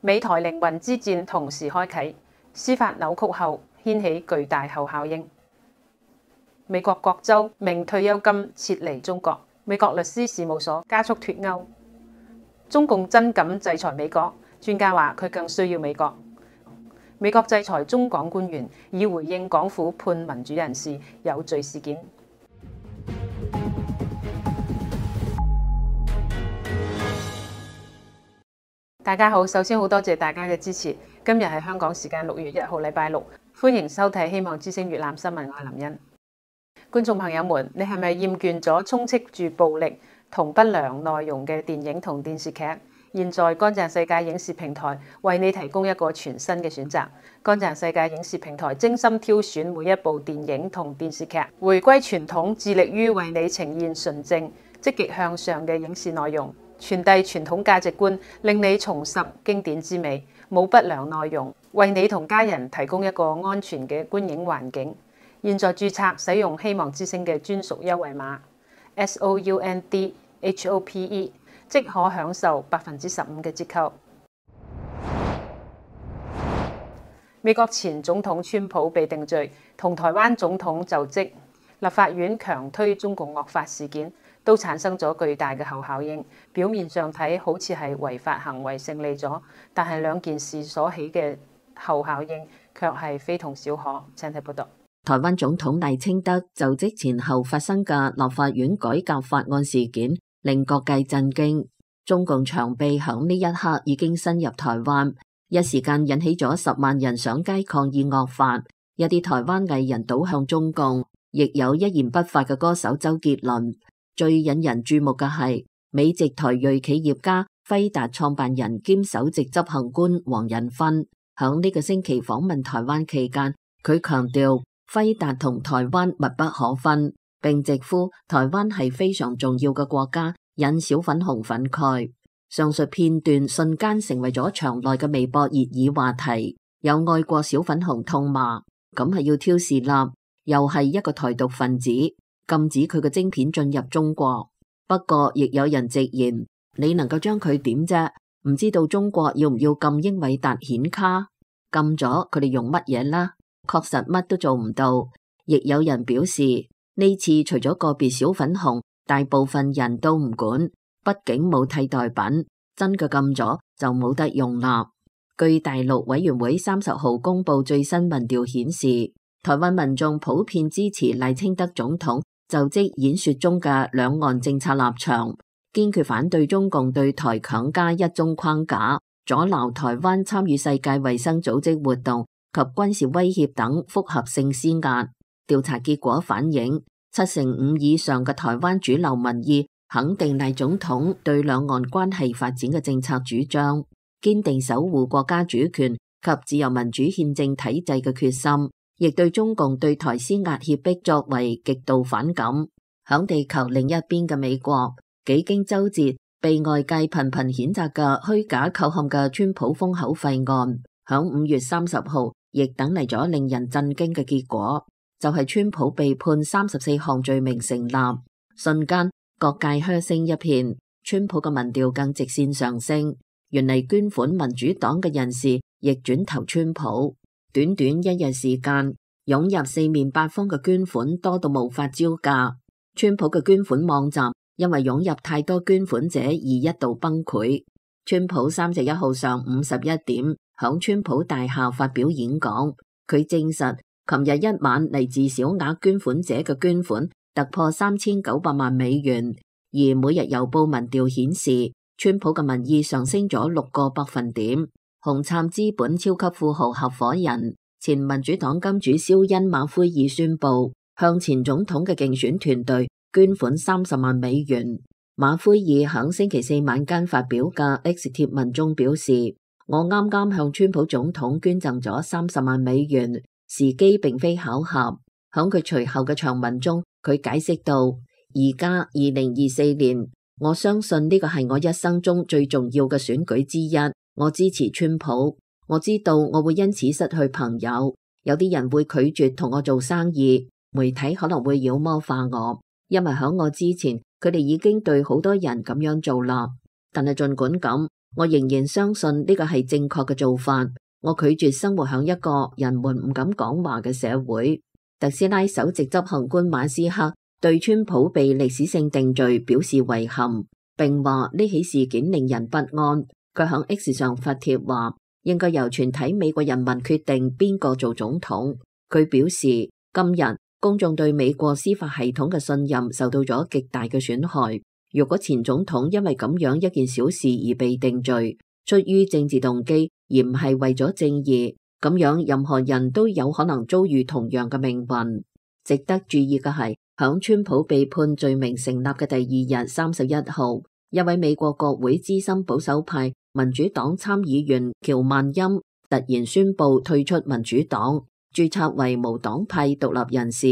美台靈魂之戰同時開啟，司法扭曲後掀起巨大後效應。美國各州明退休金撤離中國，美國律師事務所加速脫歐。中共真敢制裁美國，專家話佢更需要美國。美國制裁中港官員，以回應港府判民主人士有罪事件。大家好，首先好多謝大家嘅支持。今日係香港時間6月1號禮拜六，歡迎收睇希望之聲粵覽新聞，我係林茵。觀眾朋友們，你係咪厭倦咗充斥住暴力同不良內容嘅電影同電視劇？現在乾淨世界影視平台為你提供一個全新嘅選擇。乾淨世界影視平台精心挑選每一部電影同電視劇，回歸傳統，致力於為你呈現純正、積極向上嘅影視內容，傳遞傳統價值觀，令你重拾經典之美，冇不良內容，為你同家人提供一個安全嘅觀影環境。現在註冊使用希望之聲嘅專屬優惠碼 SOUNDHOPE， 即可享受15%嘅折扣。美國前總統川普被定罪，同台灣總統就職，立法院強推中共惡法事件，都產生咗巨大嘅後效應。表面上睇好似係違法行為勝利咗，但係兩件事所起嘅後效應卻係非同小可。請睇報道。台灣總統賴清德就職前後發生嘅立法院改革法案事件，令各界震驚。中共長臂響呢一刻已經伸入台灣，一時間引起咗10萬人上街抗議惡法。一啲台灣藝人倒向中共，亦有一言不發嘅歌手周杰倫。最引人注目嘅係美籍台裔企業家輝達創辦人兼首席執行官黃仁勳，響呢個星期訪問台灣期間，佢強調輝達同台灣密不可分，並直呼台灣係非常重要嘅國家，引小粉紅憤慨。上述片段瞬間成為咗場內嘅微博熱議話題，有愛國小粉紅痛罵，咁係要挑事立，又係一個台獨分子，禁止佢嘅晶片進入中國。不過亦有人直言，你能夠將佢點啫？唔知道中國要唔要禁英偉達顯卡？禁咗佢哋用乜嘢啦？確實乜都做唔到。亦有人表示，呢次除咗個別小粉紅，大部分人都唔管，畢竟冇替代品，真嘅禁咗就冇得用啦。據大陸委員會30號公布最新民調顯示，台灣民眾普遍支持賴清德總統就職演說中嘅兩岸政策立場，堅決反對中共對台強加一中框架，阻撓台灣參與世界衛生組織活動及軍事威脅等複合性施壓。調查結果反映，75%以上嘅台灣主流民意肯定賴總統對兩岸關係發展嘅政策主張，堅定守護國家主權及自由民主憲政體制嘅決心，亦對中共對台施壓脅迫作為極度反感。響地球另一邊嘅美國，幾經周折被外界頻頻譴責嘅虛假扣陷嘅川普封口費案，響5月30號亦等嚟咗令人震驚嘅結果，就係川普被判34項罪名成立。瞬間各界噓聲一片，川普嘅民調更直線上升。原嚟捐款民主黨嘅人士亦轉投川普，短短一日時間湧入四面八方嘅捐款多到無法招架。川普嘅捐款網站因為湧入太多捐款者而一度崩潰。川普31號上午11點響川普大廈發表演講，佢證實琴日一晚嚟自小額捐款者嘅捐款突破3900萬美元，而每日郵報民調顯示，川普嘅民意上升咗6個百分點。紅杉資本超級富豪合夥人、前民主黨金主肖恩馬奎爾宣布向前總統嘅競選團隊捐款30萬美元。馬奎爾響星期四晚間發表嘅 X 貼文中表示，我啱啱向川普總統捐贈咗30萬美元，時機並非巧合。響佢隨後嘅長文中，佢解釋到，而家2024年，我相信呢個係我一生中最重要嘅選舉之一。我支持川普，我知道我會因此失去朋友，有啲人會拒絕同我做生意，媒體可能會妖魔化我，因為響我之前，佢哋已經對好多人咁樣做啦。但係儘管咁，我仍然相信呢個係正確嘅做法。我拒絕生活喺一個人們唔敢講話嘅社會。特斯拉首席執行官馬斯克對川普被歷史性定罪表示遺憾，並話呢起事件令人不安。佢喺 X 上發帖話，應該由全體美國人民決定邊個做總統。佢表示，今日公眾對美國司法系統嘅信任受到咗極大嘅損害。如果前總統因為咁樣一件小事而被定罪，出於政治動機而唔係為咗正義，咁樣任何人都有可能遭遇同樣嘅命運。值得注意嘅係，響川普被判罪名成立嘅第二日31號，一位美國國會資深保守派民主黨參議員喬曼欽突然宣布退出民主黨，註冊為無黨派獨立人士。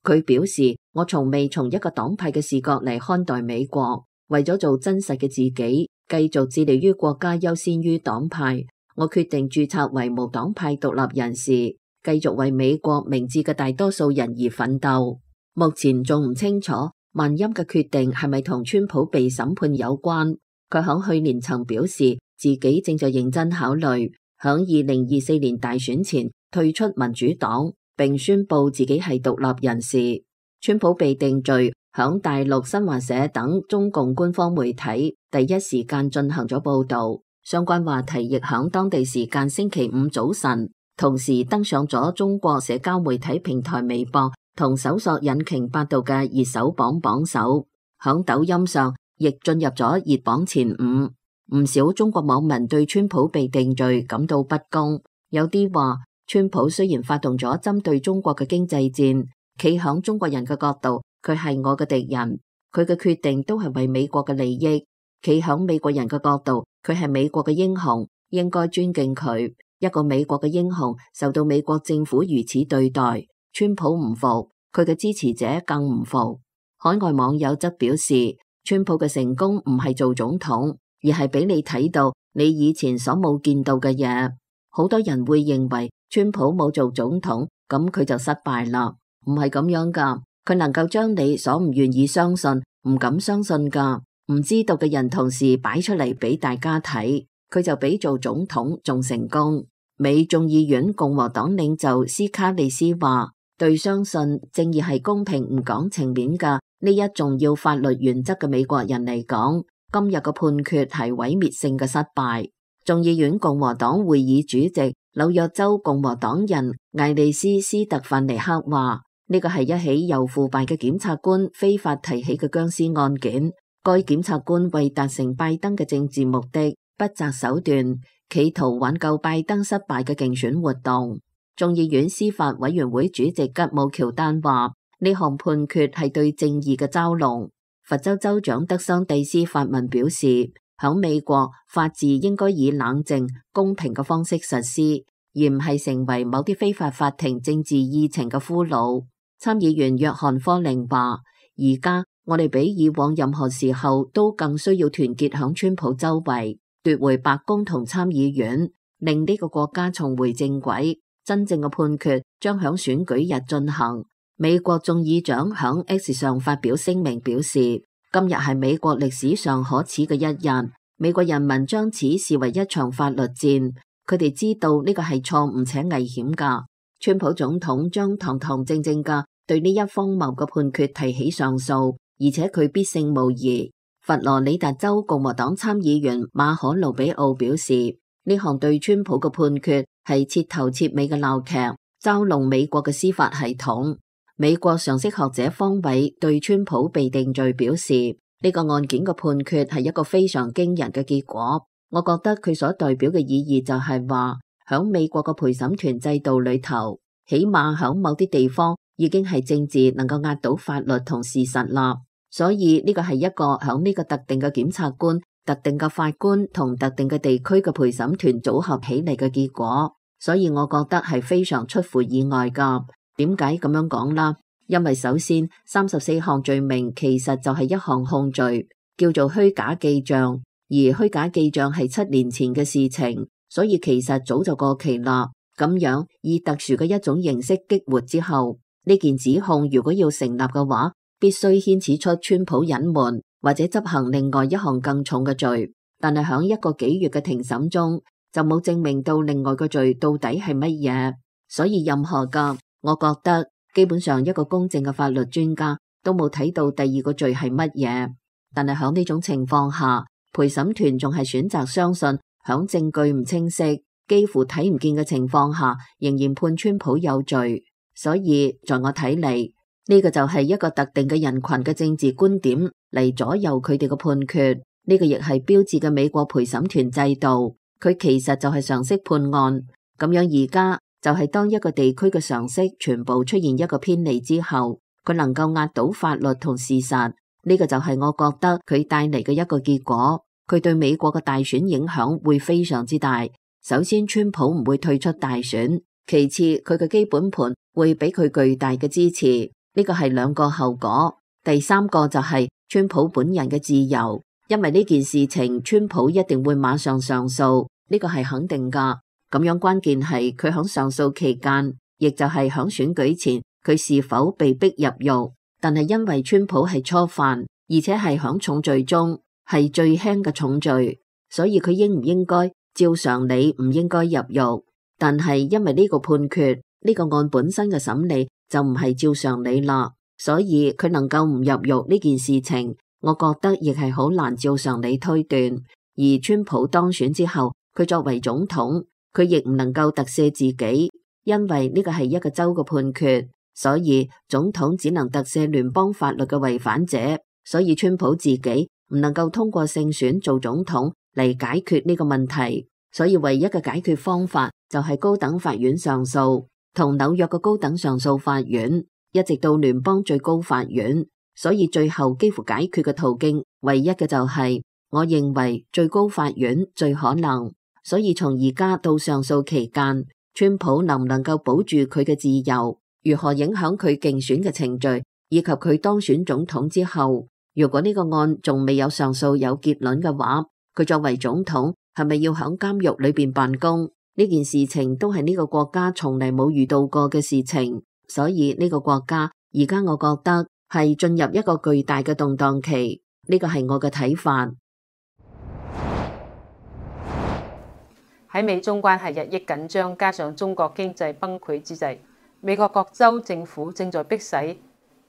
佢表示，我從未從一個黨派嘅視角嚟看待美國，為咗做真實嘅自己，繼續致力於國家優先於黨派，我決定註冊為無黨派獨立人士，繼續為美國明智嘅大多數人而奮鬥。目前仲唔清楚曼欽嘅決定係咪同川普被審判有關。佢響去年曾表示自己正在認真考慮響2024年大選前退出民主黨，並宣布自己係獨立人士。川普被定罪，響大陸新華社等中共官方媒體第一時間進行咗報道，相關話題亦響當地時間星期五早晨同時登上咗中國社交媒體平台微博同搜索引擎百度嘅熱搜榜榜首，響抖音上亦進入咗熱榜前5。唔少中國網民對川普被定罪感到不公，有啲話川普雖然發動咗針對中國嘅經濟戰，企響中國人嘅角度，佢係我嘅敵人，佢嘅決定都係為美國嘅利益。企響美國人嘅角度，佢係美國嘅英雄，應該尊敬佢。一個美國嘅英雄受到美國政府如此對待，川普唔服，佢嘅支持者更唔服。海外網友則表示，川普嘅成功唔係做總統，而係俾你睇到你以前所冇見到嘅嘢。好多人會認為川普冇做總統，咁佢就失敗啦。唔係咁樣噶，佢能夠將你所唔願意相信、唔敢相信噶、唔知道嘅人同時擺出嚟俾大家睇，佢就比做總統仲成功。美眾議院共和黨領袖斯卡利斯話，對相信正義係公平唔講情面嘅呢一重要法律原則嘅美國人嚟講，今日嘅判決係毀滅性嘅失敗。眾議院共和黨會議主席紐約州共和黨人艾利斯斯特范尼克話，呢個係一起由腐敗嘅檢察官非法提起嘅僵屍案件。該檢察官為達成拜登嘅政治目的，不擇手段，企圖挽救拜登失敗嘅競選活動。眾議院司法委員會主席吉姆喬丹話，呢項判決係對正義嘅嘲弄。佛州州長德桑蒂斯發文表示，響美國法治應該以冷靜、公平嘅方式實施，而唔係成為某啲非法法庭政治議程嘅俘虜。參議員約翰科寧話，而家我哋比以往任何時候都更需要團結響川普周圍，奪回白宮同參議院，令呢個國家重回正軌。真正嘅判決將響選舉日進行。美國眾議長響 X 上發表聲明表示，今日係美國歷史上可恥嘅一日，美國人民將此視為一場法律戰，佢哋知道呢個係錯誤且危險噶。川普總統將堂堂正正噶對呢一荒謬嘅判決提起上訴，而且佢必勝無疑。佛羅里達州共和黨參議員馬可盧比奧表示，呢項對川普嘅判決係徹頭徹尾嘅鬧劇，嘲弄美國嘅司法系統。美國常識學者方偉對川普被定罪表示，呢個案件嘅判決係一個非常驚人嘅結果。我覺得佢所代表嘅意義就係話，響美國嘅陪審團制度裏頭，起碼響某啲地方已經係政治能夠壓倒法律同事實啦。所以呢個係一個響呢個特定嘅檢察官、特定嘅法官同特定嘅地區嘅陪審團組合起嚟嘅結果。所以我覺得係非常出乎意外噶。點解咁樣講啦？因為首先34項罪名其實就係一項控罪，叫做虛假記賬，而虛假記賬係7年前嘅事情，所以其實早就過期啦。咁樣以特殊嘅一種形式激活之後，呢件指控如果要成立嘅話，必須牽扯出川普隱瞞或者執行另外一項更重嘅罪。但係響一個幾月嘅庭審中就冇證明到另外個罪到底係乜嘢。所以任何嘅，我覺得基本上一個公正嘅法律專家都冇睇到第二個罪係乜嘢。但係響呢種情況下，陪審團仲係選擇相信響證據唔清晰、幾乎睇唔見嘅情況下，仍然判川普有罪。所以在我睇嚟，呢個就係一個特定嘅人群嘅政治觀點嚟左右佢哋嘅判決。呢個亦係標誌嘅美國陪審團制度，佢其實就係常識判案。咁樣而家就係當一個地區嘅常識全部出現一個偏離之後，佢能夠壓倒法律同事實。呢個就係我覺得佢帶嚟嘅一個結果。佢對美國嘅大選影響會非常之大。首先，川普唔會退出大選；其次，佢嘅基本盤會俾佢巨大嘅支持。呢個係兩個後果。第三個就係川普本人嘅自由。因為呢件事情，川普一定會馬上上訴，呢個係肯定噶。咁樣關鍵係佢響上訴期間，亦就係響選舉前，佢是否被逼入獄。但係因為川普係初犯，而且係響重罪中係最輕嘅重罪，所以佢應唔應該照常理唔應該入獄。但係因為呢個判決，呢個案本身嘅審理就唔係照常理啦，所以佢能夠唔入獄呢件事情，我覺得亦係好難照常理推斷。而川普當選之後，佢作為總統，佢亦唔能夠特赦自己，因為呢個係一個州嘅判決，所以總統只能特赦聯邦法律嘅違反者。所以川普自己唔能夠通過勝選做總統嚟解決呢個問題，所以唯一嘅解決方法就係高等法院上訴，同紐約嘅高等上訴法院，一直到聯邦最高法院。所以最後幾乎解決嘅途徑，唯一嘅就係，我認為最高法院最可能。所以從而家到上訴期間，川普能唔能夠保住佢嘅自由，如何影響佢競選嘅程序，以及佢當選總統之後，如果呢個案仲未有上訴有結論嘅話，佢作為總統係咪要響監獄裏邊辦公？呢件事情都係呢個國家從嚟冇遇到過嘅事情。所以呢個國家而家我覺得係進入一個巨大嘅動盪期，呢個係我嘅睇法。喺美中關係日益緊張，加上中國經濟崩潰之際，美國各州政府正在迫使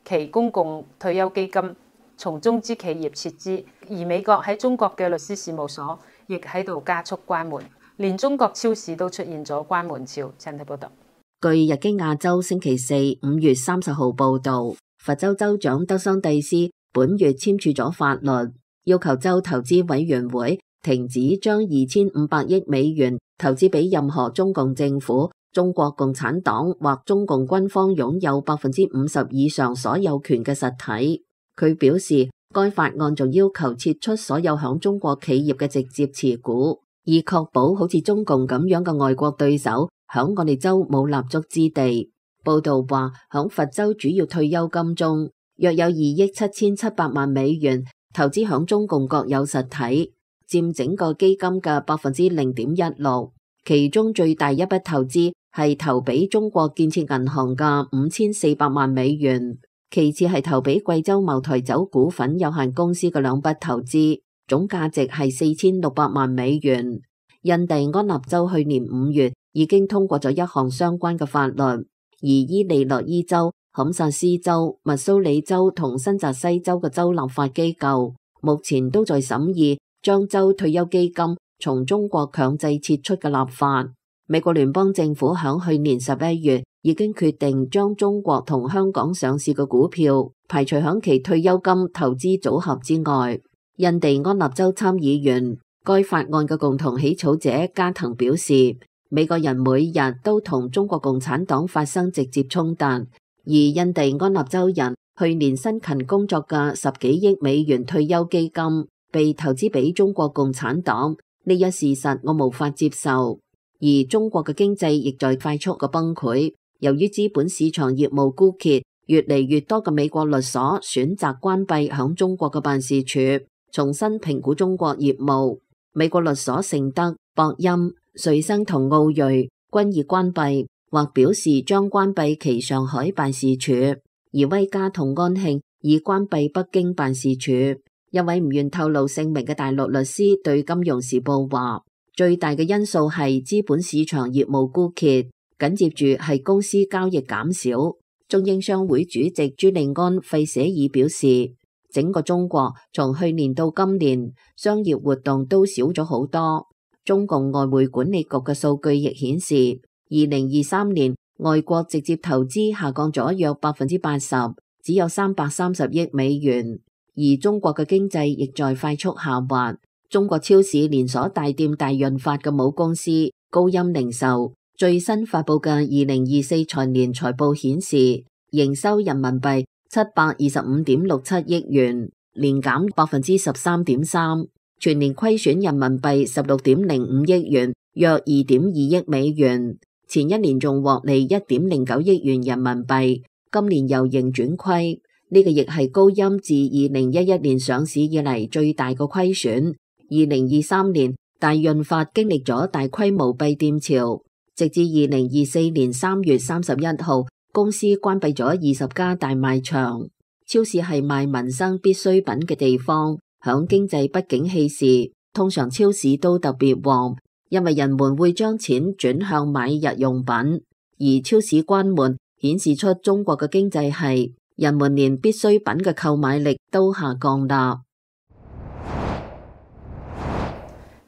其公共退休基金從中資企業撤資，而美國喺中國嘅律師事務所亦喺度加速關門，連中國超市都出現咗關門潮。請睇報道。據日經亞洲星期四5月30號報道，佛州州長德桑蒂斯本月簽署咗法律，要求州投資委員會停止將2500億美元投資俾任何中共政府、中國共產黨或中共軍方擁有50%以上所有權嘅實體。佢表示，該法案仲要求撤出所有響中國企業嘅直接持股，以確保好似中共咁樣嘅外國對手響我哋州冇立足之地。報道話，響佛州主要退休金中，約有2億7700萬美元投資響中共國有實體，佔整個基金嘅0.16%。其中最大一筆投資係投俾中國建設銀行嘅5400萬美元，其次係投俾貴州茅台酒股份有限公司嘅2筆投資，總價值係4600萬美元。印第安納州去年5月已經通過咗一項相關嘅法律，而伊利諾伊州、堪薩斯州、密蘇里州同新澤西州嘅州立法機構目前都在審議將州退休基金從中國強制撤出嘅立法。美國聯邦政府響去年11月已經決定將中國同香港上市嘅股票排除響其退休金投資組合之外。印第安納州參議員、該法案嘅共同起草者加藤表示，美國人每日都同中國共產黨發生直接衝突，而印第安納州人去年辛勤工作嘅10幾億美元退休基金被投資俾中國共產黨，呢一事實我無法接受。而中國嘅經濟亦在快速嘅崩潰，由於資本市場業務枯竭，越嚟越多嘅美國律所選擇關閉響中國嘅辦事處，重新評估中國業務。美國律所盛德、博音、瑞生同奧瑞均已關閉，或表示將關閉其上海辦事處，而威嘉同安慶已關閉北京辦事處。一位唔願透露姓名嘅大陸律師對《金融時報》話，最大嘅因素係資本市場業務枯竭，緊接住係公司交易減少。中英商會主席朱利安費舍爾表示，整個中國從去年到今年，商業活動都少咗好多。中共外匯管理局嘅數據亦顯示，2023年外國直接投資下降咗約80%，只有330億美元。而中國嘅經濟亦在快速下滑。中國超市連鎖大店大潤發嘅母公司高鑫零售最新發布嘅2024財年財報顯示，營收人民幣725.67億元，年減13.3%，全年虧損人民幣16.05億元，約2.2億美元。前一年仲獲利1.09億元人民幣，今年由盈轉虧。呢個亦係高鑫自2011年上市以嚟最大嘅虧損。2023年大潤發經歷咗大規模閉店潮，直至2024年3月31號，公司關閉咗20家大賣場。超市係賣民生必需品嘅地方，響經濟不景氣時，通常超市都特別旺，因為人們會將錢轉向買日用品。而超市關門顯示出中國嘅經濟係人們連必需品嘅購買力都下降啦。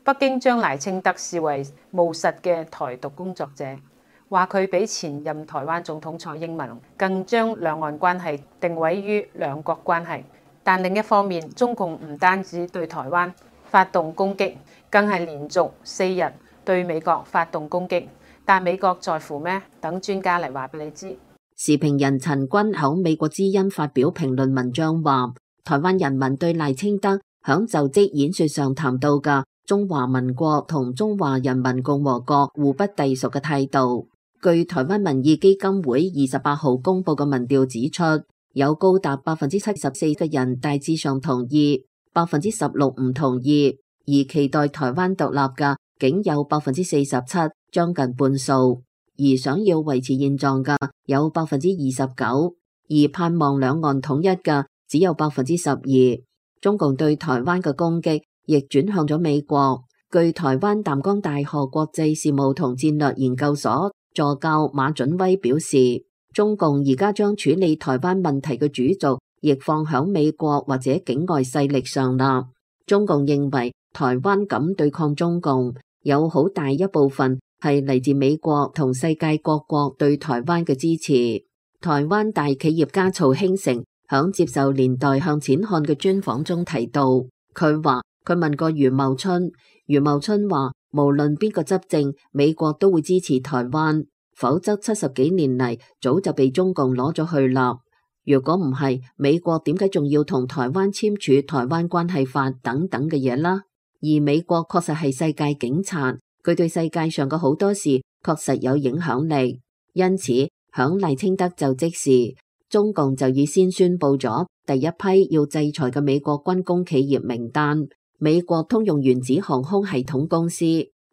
北京將賴清德視為務實嘅台獨工作者，話佢比前任台灣總統蔡英文更將兩岸關係定位於兩國關係。但另一方面，中共唔單止對台灣發動攻擊，更係連續4日對美國發動攻擊。但美國在乎咩？等專家嚟話俾你知。時評人陳君喺美國之音發表評論文章話，台灣人民對賴清德響就職演說上談到嘅中華民國同中華人民共和國互不隸屬嘅態度。據台灣民意基金會28號公布嘅民調指出，有高達74%嘅人大致上同意，16%唔同意，而期待台灣獨立嘅僅有47%，將近半數。而想要維持現狀嘅有29%，而盼望兩岸統一嘅只有12%。中共對台灣嘅攻擊亦轉向咗美國。據台灣淡江大學國際事務同戰略研究所助教馬準威表示，中共而家將處理台灣問題嘅主軸亦放響美國或者境外勢力上啦。中共認為台灣敢對抗中共，有好大一部分係嚟自美國同世界各國對台灣嘅支持。台灣大企業家曹興誠響接受年代向前看嘅專訪中提到，佢問過余茂春，余茂春話無論邊個執政，美國都會支持台灣，否則70幾年嚟早就被中共攞咗去啦。如果唔係，美國點解仲要同台灣簽署台灣關係法等等嘅嘢啦？而美國確實係世界警察。佢對世界上嘅好多事確實有影響力，因此響賴清德就職時，中共就已先宣布咗第一批要制裁嘅美國軍工企業名單：美國通用原子航空系統公司、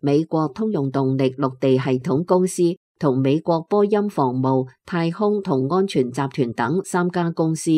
美國通用動力陸地系統公司同美國波音防務、太空同安全集團等3家公司，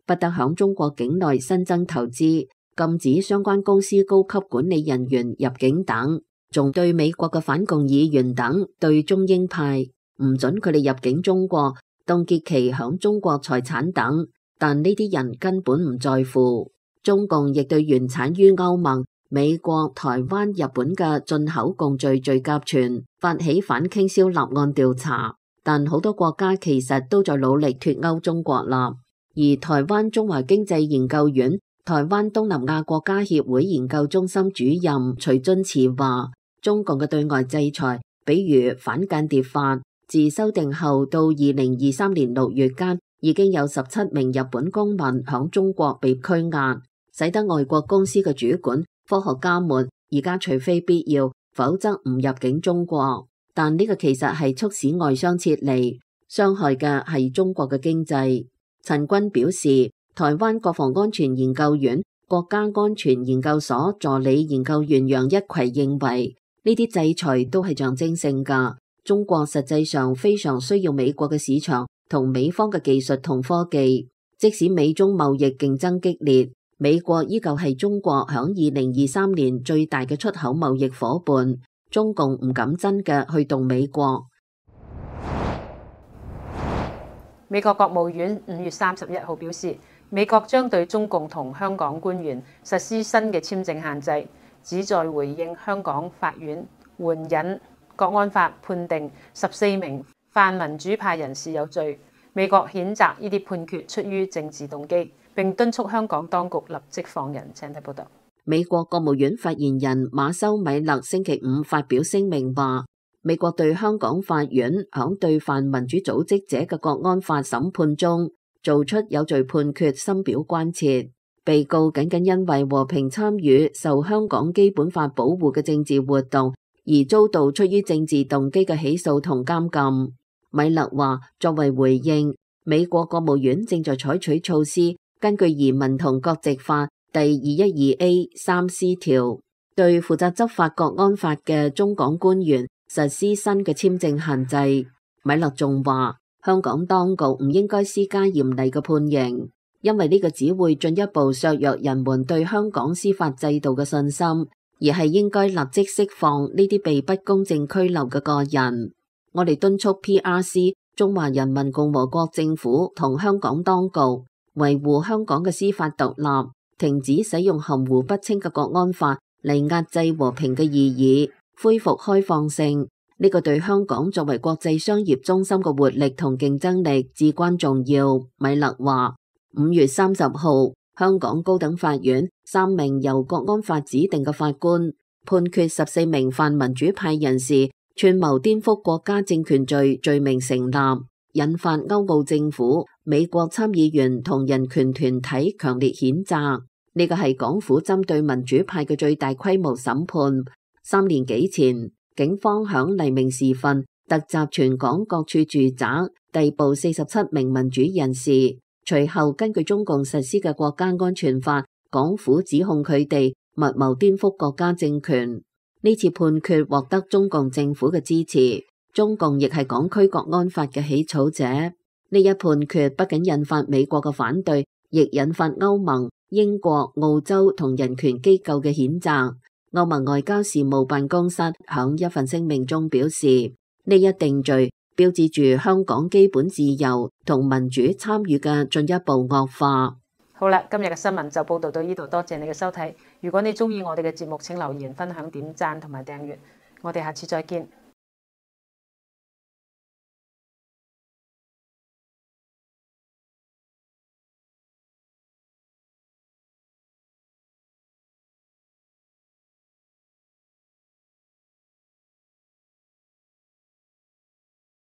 不得響中國境內新增投資，禁止相關公司高級管理人員入境等。仲對美國嘅反共議員等對中英派唔准佢哋入境中國，凍結其響中國財產等，但呢啲人根本唔在乎。中共亦對原產於歐盟、美國、台灣、日本嘅進口共罪罪甲醛發起反傾銷立案調查，但好多國家其實都在努力脫歐中國啦。而台灣中華經濟研究院台灣東南亞國家協會研究中心主任徐津慈話，中共嘅對外制裁，比如反間諜法，自修訂後到2023年6月間，已經有17名日本公民響中國被拘押，使得外國公司嘅主管、科學家們而家除非必要，否則唔入境中國。但呢個其實係促使外商撤離，傷害嘅係中國嘅經濟。陳君表示，台灣國防安全研究院國家安全研究所助理研究員楊一葵認為，呢啲制裁都係象徵性㗎。中國實際上非常需要美國嘅市場同美方嘅技術同科技，即使美中貿易競爭激烈，美國依舊係中國響2023年最大嘅出口貿易夥伴，中共唔敢真嘅去動美國。美國國務院5月31號表示，美國將對中共同香港官員實施新嘅簽證限制，旨在回應香港法院援引國安法判定14名泛民主派人士有罪。美國譴責呢啲判決出於政治動機，並敦促香港當局立即放人。請睇報道。美國國務院發言人馬修米勒星期五發表聲明話，美國對香港法院響對泛民主組織者嘅國安法審判中做出有罪判決，深表關切。被告僅僅因為和平參與受香港基本法保護嘅政治活動而遭到出於政治動機嘅起訴同監禁。米勒話，作為回應，美國國務院正在採取措施，根據移民同國籍法第 212A3C 條，對負責執法國安法嘅中港官員實施新嘅簽證限制。米勒仲話，香港當局唔應該施加嚴厲嘅判刑，因為呢個只會進一步削弱人們對香港司法制度嘅信心，而係應該立即釋放呢啲被不公正拘留嘅個人。我哋敦促 PRC 中華人民共和國政府同香港當局維護香港嘅司法獨立，停止使用含糊不清嘅國安法嚟壓制和平嘅異議，恢復開放性。呢個對香港作為國際商業中心嘅活力同競爭力至關重要。米勒話，5月30號，香港高等法院3名由國安法指定嘅法官判決14名泛民主派人士串謀顛覆國家政權罪名成立，引發歐澳政府、美國參議員同人權團體強烈譴責。呢個係港府針對民主派嘅最大規模審判。3年幾前，警方響黎明時分突襲全港各處住宅，逮捕47名民主人士。隨後根據中共實施嘅國家安全法，港府指控佢哋密謀顛覆國家政權。呢次判決獲得中共政府嘅支持，中共亦係港區國安法嘅起草者。呢一判決不僅引發美國嘅反對，亦引發歐盟、英國、澳洲同人權機構嘅譴責。歐盟外交事務辦公室響一份聲明中表示，呢一定罪標誌住香港基本自由同民主參與嘅進一步惡化。好啦，今日嘅新聞就報道到呢度，多謝你嘅收睇。如果你鍾意我哋嘅節目，請留言、分享、點讚同埋訂閱。我哋下次再見。